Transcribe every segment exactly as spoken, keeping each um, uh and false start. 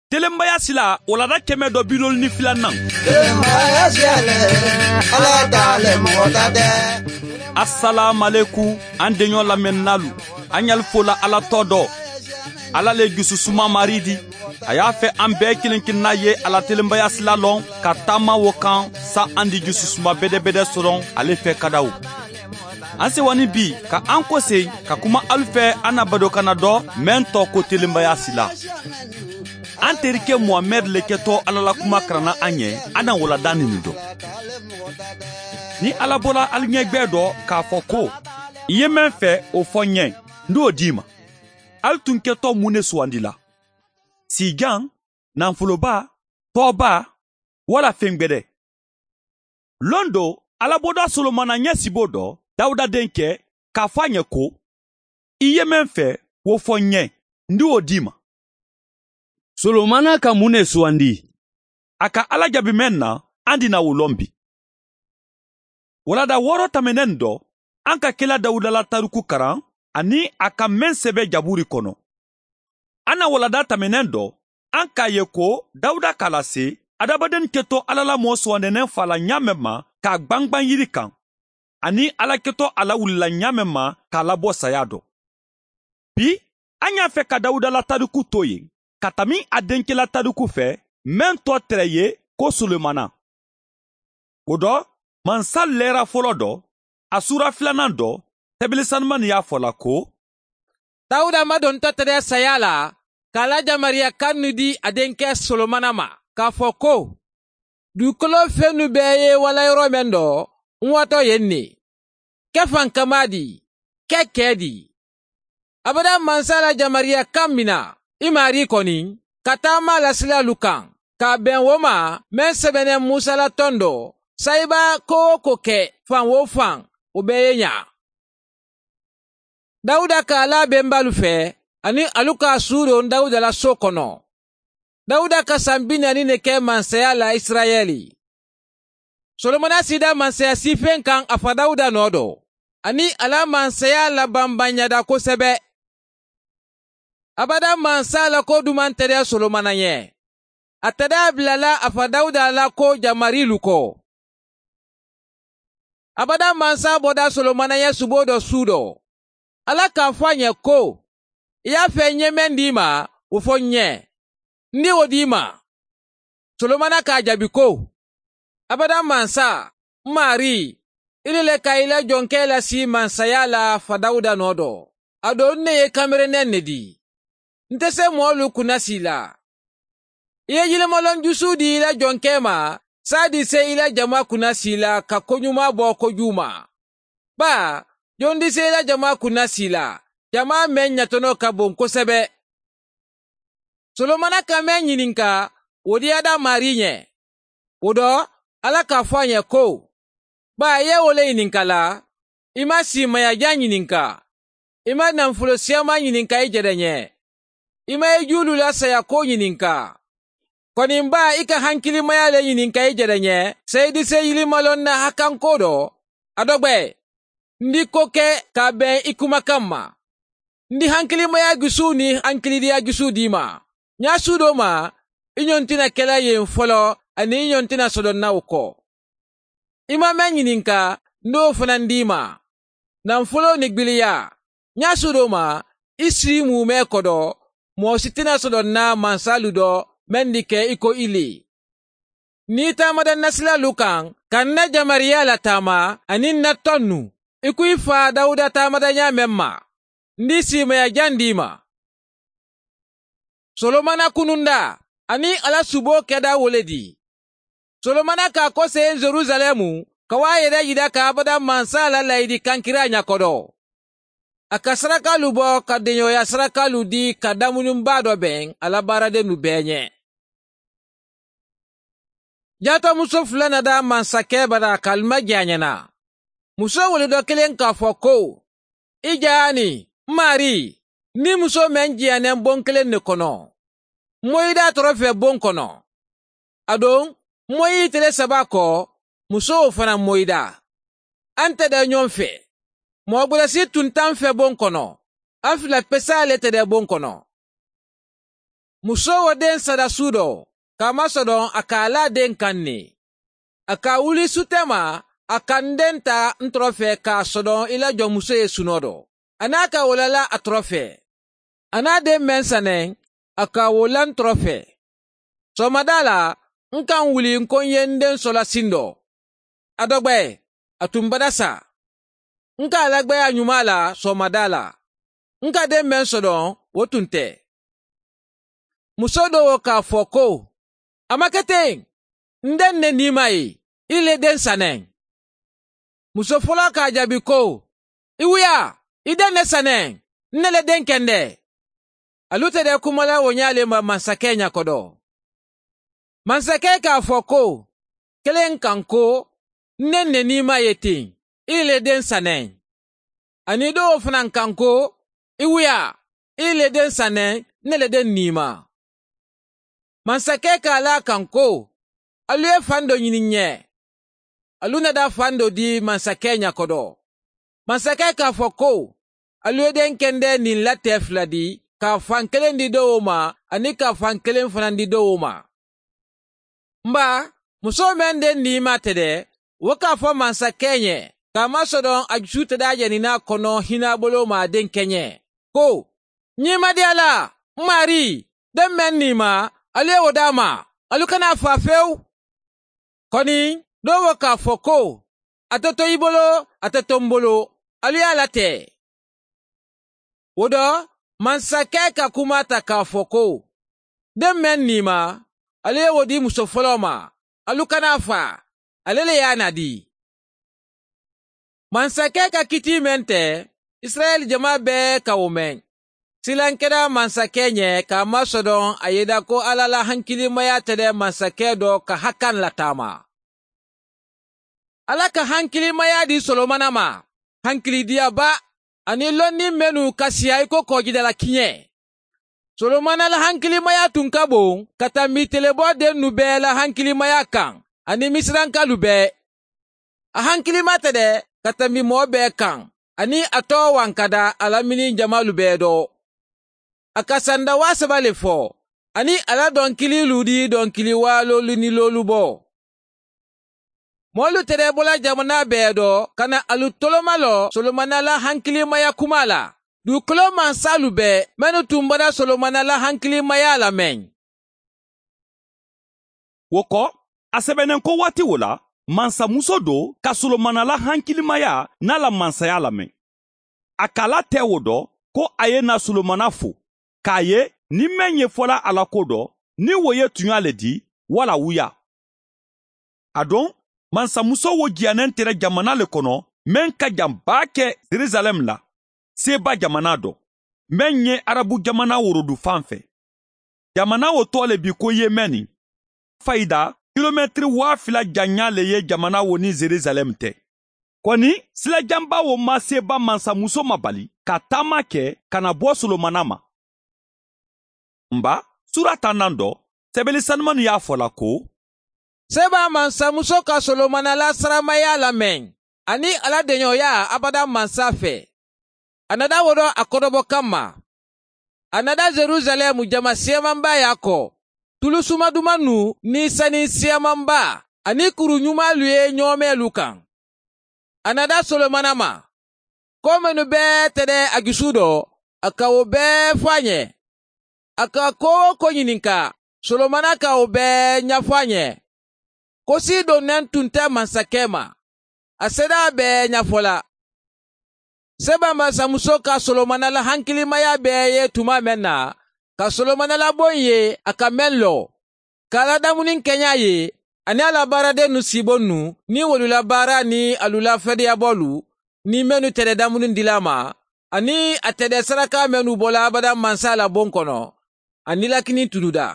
Telenbaya sila, walada kɛmɛ dɔ bi loolu ni filanan. Telenbaya sila le, Ala ta le, mɔgɔ ta tɛ. Asalaamalekum, an deɲɔ lamɛnnaalu, an ɲali fola Ala tɔ dɔ. Ala le jususuma Mari di. A y'a fɛ an bɛɛ kelen kelenna ye a la telenbaya sila lɔn, ka taama wo kan, sa an di jususuma bɛdɛbɛdɛ sɔrɔ ale fɛ kadaw. An sewa ni bi ka an kosegi ka kuma alu fɛ, an na badokanna dɔ, meŋ tɔgɔ ko telenbaya sila. An terike muhamɛdi le kɛtɔ, ala la kuma karanna an ye. An na walada nini dɔn. Ni ala bɔra alu ɲɛgbɛ dɔ k'a fɔ ko, i ye meŋ fɛ, o fɔ n ye, n d'o d'i ma. Alu tun kɛtɔ mun ne sugandila? Sijan, nafoloba, tɔɔba, wala fɛn gbɛdɛ? Lon do, ala bɔda solomana ɲɛ sibo dɔ, dawuda denkɛ, k'a fɔ a ɲɛ ko, i ye meŋ fɛ, wo fɔ n ye, n di wo d'i ma. Solomana ka mun ne sugandi? A ka ala jaabi meŋ na, an di na wo lɔn bi. Walada wɔɔrɔ tɛmɛnen dɔ, an ka kila dawuda la tariku karan, ani a ka meŋ sɛbɛ jaburi kɔnɔ. An na walada tɛmɛnen dɔ, an k'a ye ko dawuda k'a lase adamaden kɛtɔ ala la mɔɔ sugandɛnɛ fa la ɲaamɛ ma, k'a gbangban yiri kan, ani ala kɛtɔ a la wulila ɲaamɛ ma, k'a labɔ saya dɔ. Bi, an y'a fɛ ka dawuda la tariku to yen, ka tami a denkɛ la tariku fɛ, meŋ tɔ tɛrɛ ye ko solomana. O dɔ, mansa lɛra fɔlɔ dɔ, a sura filanan dɔ, tɛbili sanumani y'a fɔ la ko, dawuda ma don tɔtɛrɛ saya la, k'a la jamariya kan nu di a denkɛ solomana ma, k'a fɔ ko, dugukolo fɛnnu bɛɛ ye wala yɔrɔ meŋ dɔ, n watɔ yen ne. Kɛ fankama di, kɛ kɛɛ di. Abada mansa la jamariya kan mina i maari kɔni, ka taama la silalu kan, k'a bɛn wo ma, meŋ sɛbɛnnen musa la tɔn dɔ, sayiba ko wo ko kɛ fan wo fan, o bɛɛ ye ɲa. Dawuda ka ala benbalu fɛ, ani alu ka a suudon dawuda la so kɔnɔ. Dawuda ka san bi naani ne kɛ mansaya la isirayɛli. Solomana sida mansaya sifen kan a fa dawuda nɔ dɔ, ani a la mansaya labanbanyada kosɛbɛ. Abada mansa la ko duman tɛdɛ solomana ɲɛ. A tɛdɛ bilala a fa dawuda la ko jamarilu kɔ. Abada mansa bɔda solomana ɲɛ subo dɔ su dɔ. Ala k'a fɔ a ɲɛ ko, i y'a fɛ n ye meŋ d'i ma, o fɔ n ɲɛ, n di o d'i ma. Solomana k'a jaabi ko, abada mansa, n maari, i le le ka i la jɔnkɛ lasi mansaya la fa dawuda nɔ dɔ. A do n ne ye kamerenɛ ne di. N te se mɔɔlu kunnasi la. I ye yilimalɔn jusu di i la jɔnkɛ ma, saa di se i la jama kunnasi la ka koɲuma bɔ kojugu ma. Baa, jon di se i la jama kunnasi la, jama meŋ ɲatɔnɔ ka bon kosɛbɛ. Solomana ka meŋ ɲininka, wo diyada maari ɲɛ. Wo dɔ, ala k'a fɔ a ɲɛ ko, baa, i ye wo le ɲininka la, i ma siimayajan ɲininka, i ma nafolo siyaman ɲininka i jɛdɛ ɲɛ, i ma i juulu la sayako ɲininka. Kɔni baa, i ka hankilimaya le ɲininka i jɛdɛ ɲɛ, seyidise yilimalɔn na hakanko dɔ, a dɔgbɛ, n di ko kɛ k'a bɛn i kumakan ma. N di hankilimaya jusu ni hankilidiya jusu d'i ma. Ɲa su do ma, i ɲɔn tɛna kɛla yen fɔlɔ, ani i ɲɔn tɛna sɔdɔnna o kɔ. I ma meŋ ɲininka, n do fana n d'i ma. Nafolo ni gbiliya, ɲa su do ma, i si muumɛ kɔdɔ, mɔɔ si tɛna sɔdɔnna mansalu dɔ, meŋ di kɛ i ko i le. Ni i taamada n na silalu kaŋ, ka n na jamariya lataama, ani n na tɔnnu, i ko i fa dawuda taamada ɲaa meŋ ma, n di siimayajaŋ d'i ma. Solomana kununda, aniŋ a la suboo keda wo le di. Solomana ka a koseyi jerusalɛmu, ka wo a yere yida ka abada mansa la layidi kankiraa ɲa kodo. A ka sarakaalu bo ka deɲoya sarakaalu di ka damunin baa do beŋ a la baaradennu bee ɲe. Jaatomuso fula nada mansakɛ bara ka a limaje a ɲana. Muso wuludɔ kelen k'a fɔ ko, i jaani, n maarii, n ni muso meŋ jiyanen bon kelen ne kono. N moyida tɔrɔ fɛ bon kono. Aduŋ, n moyi tile saba kɔ, muso wo fana moyida. An tɛdɛ ɲɔŋ fɛ. Moo gberesi tunta n fɛ bon kono. An fila pesaa le tɛdɛ bon kono. Musoo wo deŋ sada suu doo, ka a maŋ sodoŋ a ka a laa deŋ kaŋ ne. A ka a wuli su tema, a ka n deŋ taa ntoro fee ka a sodoŋ i la jonmusoo ye sunoo doo. A naa ka wo la laa a toro fee. A naa deŋ meŋ saneŋ, a ka wo la ntoro fee. Soomadaa la, n ka n wuli n ko n ye n deŋ sola sindoo. A dogbe, a tuŋ bada saa. N ka a lagbe a ñumaa la soomadaa la. N ka deŋ meŋ sodoŋ, wo tuŋ te. Musoo doo wo ka a fo ko, a ma ke teŋ. N deŋ ne niimaa ye, ì le deŋ saneŋ. Muso foloo ka a jaabi ko, i wuyaa, i deŋ ne saneŋ. N ne le deŋ kendee. Alu te de kuma la wo ñaa le ma mansakee ña kodo. Mansakee ka a fo ko, keleŋ kaŋ ko, n deŋ ne niimaa ye teŋ, ì le deŋ saneŋ. Aniŋ doo wo fanaa kaŋ ko, i wuyaa, ì le deŋ saneŋ. N ne le deŋ niimaa. Mansakee ka a laa kaŋ ko, alu ye fandoo ñini n ye. Alu na daa fandoo dii mansakee ña kodo. Mansakee ka a fo ko, alu ye deŋ kendee niŋ n la tee fula dii, ka a faŋ keleŋ dii doo wo ma, aniŋ ka a faŋ keleŋ fanaa dii doo wo ma. M baa, musoo meŋ deŋ niimaa te de, wo ka a fo mansakee ñe, ka a maŋ sodoŋ a jusuu te daa je niŋ naa kono hinaaboloo ma a deŋ ke ñe, ko, ñiŋ ma diyaa la. M maarii, deŋ meŋ niimaa, alu ye wo daa ma. Alu kana a faa fewu. Koni, doo wo ka a fo ko, a te to i bolo, a te to m bolo. Alu ye a latee. Wo do, mansakee ka kumaa ta ka a fo ko, deŋ meŋ niimaa, alu ye wo dii muso foloo ma. Alu kana a faa, ale le ye a naa dii. Mansakee ka kitii meŋ te, isirayila jamaa bee ka wo meŋ. Silaŋ keta mansakee ñe ka a maŋ sodoŋ a ye i da ko alla la hankilimayaa te de mansakee do ka hakaŋ lataama. Alla ka hankilimayaa dii solomana ma, hankilidiyaa baa, aniŋ londiŋ mennu ka siyaa i ko koojidala kiñee. Solomana la hankilimayaa tun ka boŋ ka tambi teleboo dennu bee la hankilimayaa kaŋ, aniŋ misirankaalu bee. A hankilimaa te de ka tambi moo bee kaŋ, aniŋ a too waŋ ka daa a la miniŋ jamaalu bee do. A ka sanda waa saba le fo, aniŋ a la donkiliilu dii donkili waaloolu ni loolu bo. Moolu te de bo la jamanaa bee do ka na alu toloma lo solomana la hankilimaya kumaa la, duukoloo mansaalu bee mennu tumbata solomana la hankilimayaa la meŋ. Wo ko, a sebeneŋ ko waati wo la, mansamuso do ka solomana la hankilimayaa niŋ a la mansayaa la meŋ. A ka a la tee wo do ko a ye naa solomana fo, ka a ye niŋ meŋ ye fola a la ko do, niŋ wo ye tuñaa le dii walla wuyaa. Aduŋ, mansamusoo wo jiyaneŋ tera jamana le kono meŋ ka jaŋ baake jerusalem la, seeba jamana do, meŋ ye arabu jamana worodu faŋ fe. Jamana wo too le bi ko yemeni. Fayida kilometiri waa fila jaŋyaa le ye jamana wo niŋ jerusalem te. Koni, sila jamba wo ma seeba mansamuso mabali ka taama ke ka na bo solomana ma. M baa, suura tannaŋ do, sebeli sanumanu ye a fo la ko, seeba mansamuso ka solomana la saramayaa lameŋ aniŋ a la deñooyaa abada mansa fee. A nada wo do a kotobo kamma. A nada jerusalem jama siyamanbaayaa ko, tulu sumadumannu niŋ saniŋ siyamanbaa aniŋ kuru ñumaalu ye ñoomeelu kaŋ. A nada solomana ma, koo mennu bee te de a jusuu do, a ka wo bee fo a ñe. A ka koo-wo-koo ñininka, solomana ka wo bee ñafo a ñe. Kosii doŋ neŋ tun te mansakee ma, a seedeyaa bee ñafo la. Seba mansamusoo ka solomana la hankilimayaa bee ye tumaa meŋ na, ka solomana la boŋ ye a ka meŋ loo, ka a la damuni keñaa ye, aniŋ a la baaradennu siibonnu niŋ wolu la baaraa niŋ alu la fedeyaboolu niŋ mennu te de damuni dila a ma, aniŋ a te de saraka mennu bo la abada mansa la boŋ kono, a nilakini tunuda.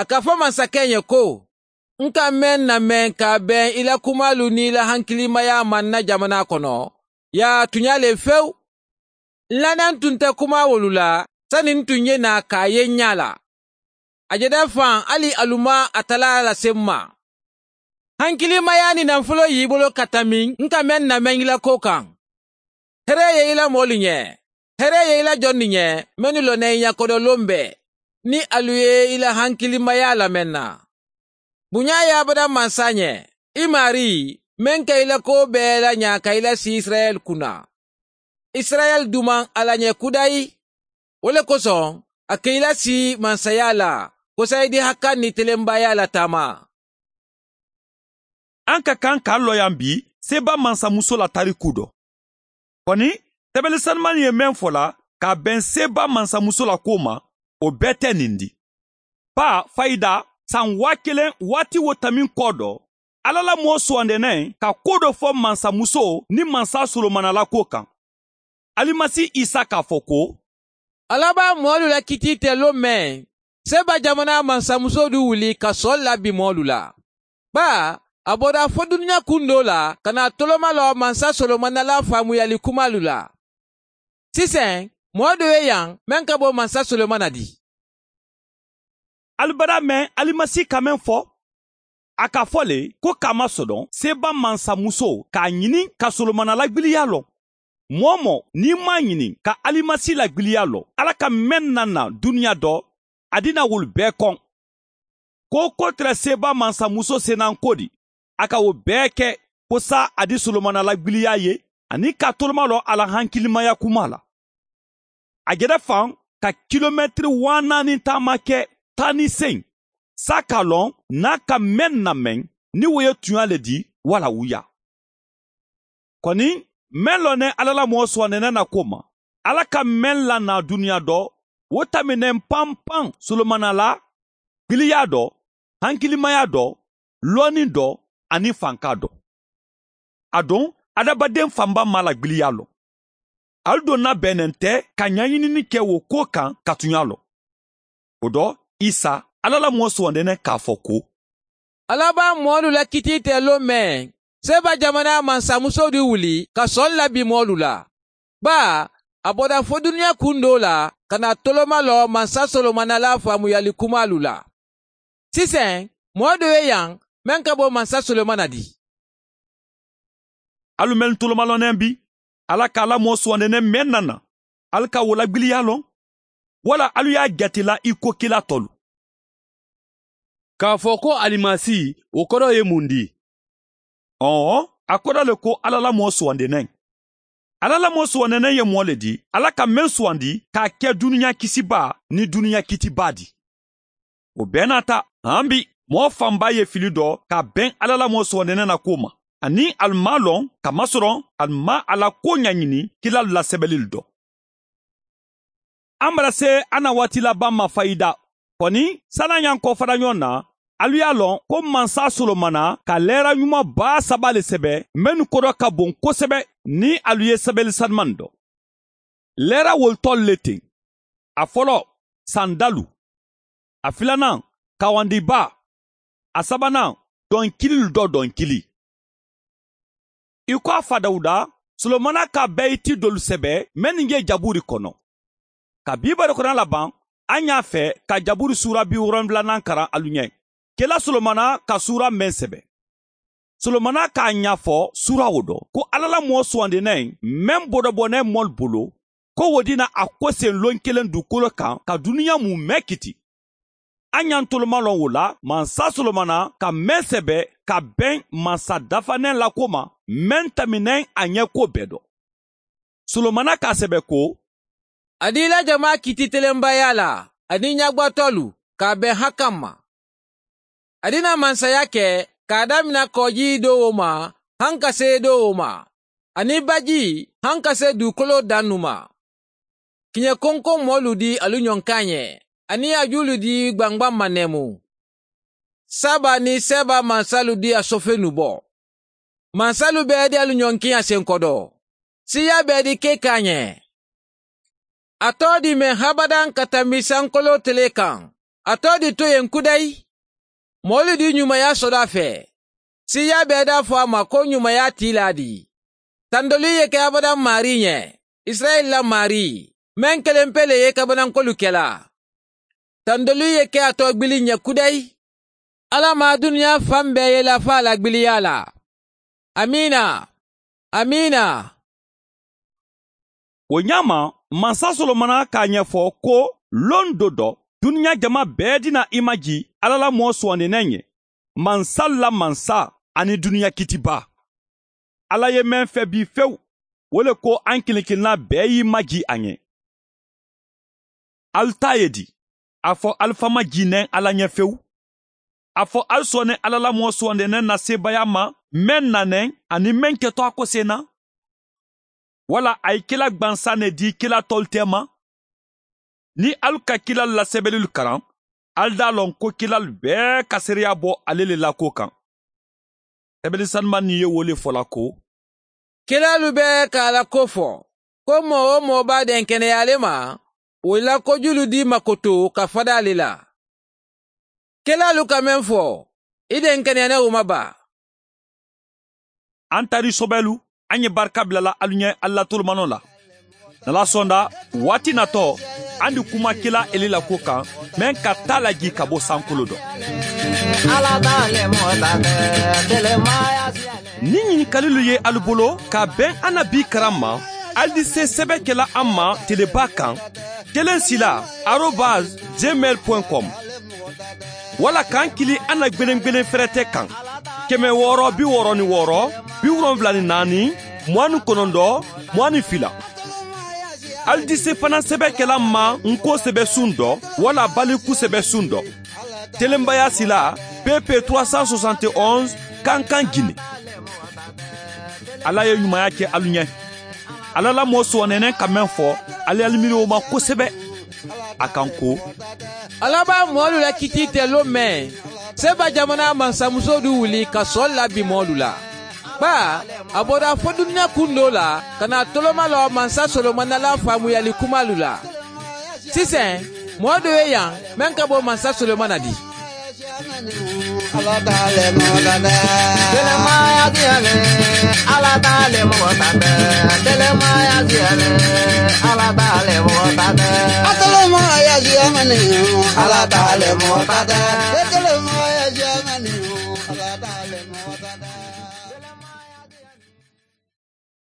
A ka fo mansakee ye ko, n ka meŋ na meŋ ka a beŋ i la kumaalu niŋ i la hankilimayaa maŋ na jamanaa kono, yaa tuñaa le fewu. N la neŋ tun te kumaawolu la sani n tuŋ ye naa ka a ye n ñaa la. A je de faŋ hali alu maŋ a talaa lase m ma. Hankilimayaa niŋ nanfuloo ye i bolo ka tambi n ka meŋ na meŋ i la koo kaŋ. Heree ye i la moolu ñe, heree ye i la jonnu ñe mennu loŋ na i ñakodoloŋ bee. niŋ ali ye i la hankilimayaa lameŋ na. Buñaa ye abada mansa ñe, i maarii meŋ ka i la kuwo bee la ñaa ka i la sii isirayeli kuna. Isirayeli dumaŋ a la ñe kudayi. Wo le kosoŋ a ka i la sii mansayaa la kosayi di hakkaŋ niŋ telembayaa la taama. An ka kaŋ ka loyaŋ bi seba mansamuso la tariku do. Koni, tebeli sanumani ye meŋ fo la ka a beŋ seba mansamuso la kuwo ma, wo bee te niŋ di. Baa fayida, saŋ waa keleŋ waati wo tamiŋ koo do, alla la moo suwandi neŋ ka kuwo do fo mansamuso niŋ mansa solomana la kuwo kaŋ. Alimasi isa ka a fo ko, alla be a moolu la kitii te loŋ meŋ, seba jamanaa mansamuso du wuli ka soolu la bi moolu la. Baa a bota fo duniyaa kundoo la ka naa tolomaloo mansa solomana la faamuyali kumaalu la. Siseŋ, moo doo ye yaŋ meŋ ka bo mansa solomana di. Ali badaa meŋ alimasi ka meŋ fo, a ka fo le ko ka a masodoŋ seba mansamuso ka a ñini ka solomana la gbiliyaa loŋ. Moo-wo-moo niŋ i maŋ a ñini ka alimasi la gbiliyaa loŋ, alla ka meŋ naŋ na duniyaa do a dina wolu bee koŋ. Ko ko tara seba mansamuso senanko di, a ka wo bee ke ko saayiŋ a di solomana la gbiliyaa ye aniŋ ka a tolomaloo a la hankilimaya kumaa la. A jeta faŋ ka kilometiri waa naani taama ke taa niŋ seyi, saayiŋ ka a loŋ niŋ a ka meŋ nameŋ niŋ wo ye tuñaa le di walla wuyaa. Koni, meŋ loŋ ne alla la moo suwandi ne na kuwo ma, alla ka meŋ la naa duniyaa do, wo tambi ne pampaŋ solomana la gbiliyaa do, hankilimaya do, looniŋ do, aniŋ fankaa do. Aduŋ, hadamadenfaŋ baa maŋ a la gbiliyaa loŋ. Ali donna bee ne nte ka ñañinini ke wo kuwo kaŋ ka tuñaa loŋ. Wo do, isa alla la moo suwandi ne ka a fo ko, alla be a moolu la kitii te loŋ meŋ, seba jamanaa mansamuso di wuli ka soolu la bi moolu la. Baa a bota fo duniyaa kundoo la ka naa tolomaloo mansa solomana la faamuyali kumaalu la. Siseŋ, moo doo ye yaŋ meŋ ka bo mansa solomana di. Alu mennu tolomaloo neŋ bi, alla ka a la moo suwandi neŋ meŋ na na, ali ka wo la gbiliyaa loŋ? Walla alu ye a jati la i ko kila tolu? K'a fo ko alimasi, wo koroo ye muŋ di? Ɔɔ, a kodo le ko alla la moo suwandi neŋ. Alla la moo suwandi neŋ ye moo le di alla ka meŋ suwandi ka a ke duniyaa kisibaa niŋ duniyaa kitibaa di. Wo bee naata, haŋ bi, moo faŋ baa ye fili do ka a beŋ alla la moo suwandi neŋ na kuwo ma, aniŋ ali maŋ a loŋ ka masoroŋ ali maŋ a la kuwo ñañini kilaalu la sebelilu do. A mara se a na waati labaŋ ma fayida. Koni, sanaŋ ñaŋ koo fanañoo na, alu ye a loŋ ko mansa solomana ka leera ñuma baa saba le sebe mennu kodo ka boŋ kosebe niŋ alu ye sebeli sanumani do. Leera wolu tolu le teŋ. A foloo, sandalu. A filanaŋ, kawandibaa. A sabanaŋ, donkililu do donkili. I ko a fa dawuda, solomana ka beeti doolu sebe mennu ye jabuuri kono. Ka biibarikona labaŋ, a ñaa fe ka jabuuri suura biwooronfulanaŋ karaŋ alu ñe. Kela solomana ka suura meŋ sebe, solomana ka a ñaa fo suura wo do ko alla la moo suwandi neŋ meŋ bodobo ne moolu bulu, ko wo dina a koseŋ loŋ keleŋ dukolo kaŋ ka duniyaa mumee kiti. A ñantolu maŋ loŋ wo la mansa solomona ka meŋ sebe ka beŋ mansa dafaneŋ la kuwo ma, meŋ tambi neŋ a ñeekuwo bee do. Solomona ka a sebe ko, a dii la jamaa kiti telembayaa la aniŋ ñagbatolu ka a beŋ hakkaŋ ma. A dina mansaya ke ka a damina kooji doo wo ma, hankase doo wo ma, aniŋ baji hankase duukoloo dannu ma. Kiñe konkoŋ moolu di alu ñoŋ kaañe, aniŋ a juulu di gbangbaŋ ma nemu. Saba niŋ seba mansalu di a sofenu bo. Mansalu bee di alu ñoŋ kiña senkodoo. Siiyaa bee di ke kaañe. A too di meŋ habadaŋ ka tambi sankoloo telee kaŋ. A too di toyeŋ kudayi. Moolu di ñumaya soda fee. Siiyaa bee daa fo a ma ko ñumaya tiilaa di. Tandolii ye ke abadaŋ maarii ñe, isirayila la maarii, meŋ kelempe le ye kabanankolu kela. Tandolii ye ke a too gbiliŋ ñe kudayi. Alla maa duniyaa faŋ bee ye lafaa la gbiliyaa la. Amiina. Amiina. Wo ñaama, mansa solomona ka a ñafo ko, loŋ do do. Duniɲa jama bee dina i maji alla la moo suwandineŋ ye, mansaalu la mansa aniŋ duniɲa kiitibaa. Alla ye meŋ febi fewu, wo le ko aŋ kiliŋ kiliŋ na bee ye i maji a ɲe. Ali taa ye di? A fo ali fama jiineŋ alla ɲe fewu. A fo ali sooneŋ alla la moo suwandineŋ na seebayaa ma, meŋ naneŋ aniŋ meŋ keto a kosee na. Walla a ye kila gbansaŋ ne dii kila toolu teema. Niŋ ali ka kilaalu la sebelilu karaŋ, ali daa loŋ ko kilaalu bee ka seereyaa bo ale le la kuwo kaŋ. Sebeli sanumaŋ niŋ ye wo le fo la ko, kilaalu bee ka a la kuwo fo, ko moo-wo-moo be a denkeneyaa le ma, wo la kojulu dii makoto ka fada le la. Kilaalu ka meŋ fo, i denkeneya ne wo ma baa. An tari sobelu, an ye barika bila la alu ɲe alla tolomanoo la. Nala sonda waati natoo, an di kuma kila eli la kuwo kaŋ, meŋ ka taa la jii ka bo sankoloo do. Niŋ ɲinikalilu ye alu bolo ka beŋ annabi karamma, ali di se sebe kela an ma telebaa kaŋ, kelen sila arobas gmail point com. Walla ka n kili an na gbeneŋ gbeneŋ ferete kaŋ, keme wooro bi wooro ni wooro, bi wolonwula ni naani, muwaŋ ni konondoo, muwaŋ ni fila. Ali di se fanaŋ sebe kela n ma n ko sebe suŋ do, walla baliku sebe suŋ do. Telenbaya sila, pp trois cent soixante et onze, kankan gine. Alla ye ɲumaya ke alu ɲe. Alla la moo suwanneenen ka meŋ fo, ali alimiri wo ma kosebe. A kaŋ ko, alla be a moolu la kitii teloo meŋ, seba jamanaa mansamusoo du wuli ka soolu la bi moolu la. Baa, a bota fo duniyaa kundoo la, ka naa tolomaloo mansa solomana la faamuyali kumaalu la. Siseŋ, moo doo ye yaŋ meŋ ka bo mansa solomana di.